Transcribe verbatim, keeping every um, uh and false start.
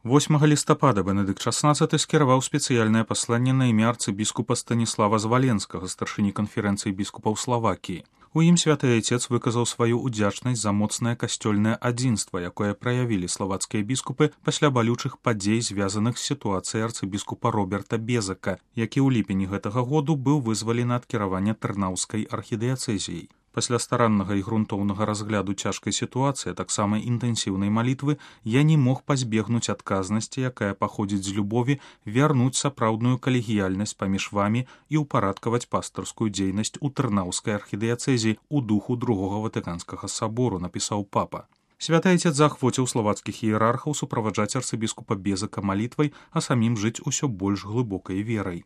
восьмага лістапада Бенедыкт шаснаццаты скіраваў спецыяльнае пасланне на імя арцыбіскупа Станіслава Зваленскага, старшыні канферэнцыі біскупаў Славакіі. У ім святы айцец выказаў сваю ўдзячнасць за моцнае касцёльнае адзінства, якое праявілі славацкія біскупы пасля балючых падзей, звязаных з сітуацыяй арцыбіскупа Роберта Безака, які ў ліпені гэтага году быў вызвалены ад кіравання тэрнаўскай архідыяцэзіяй. Пасля стараннага і грунтоўнага разгляду цяжкай сітуацыі, таксама інтэнсіўнай малітвы, я не мог пазбегнуць адказнасці, якая паходзіць з любові, вярнуць сапраўдную калегіяльнасць паміж вамі і ўпарадкаваць пастырскую дзейнасць у тэрнаўскай архідыяцэзіі ў духу другога ватыканскага сабору, напісаў папа. Святы айцец заахвоціў славацкіх іерархаў суправаджаць арцыбіскупа Безака малітвай, а самім жыць усё больш глыбокай верай.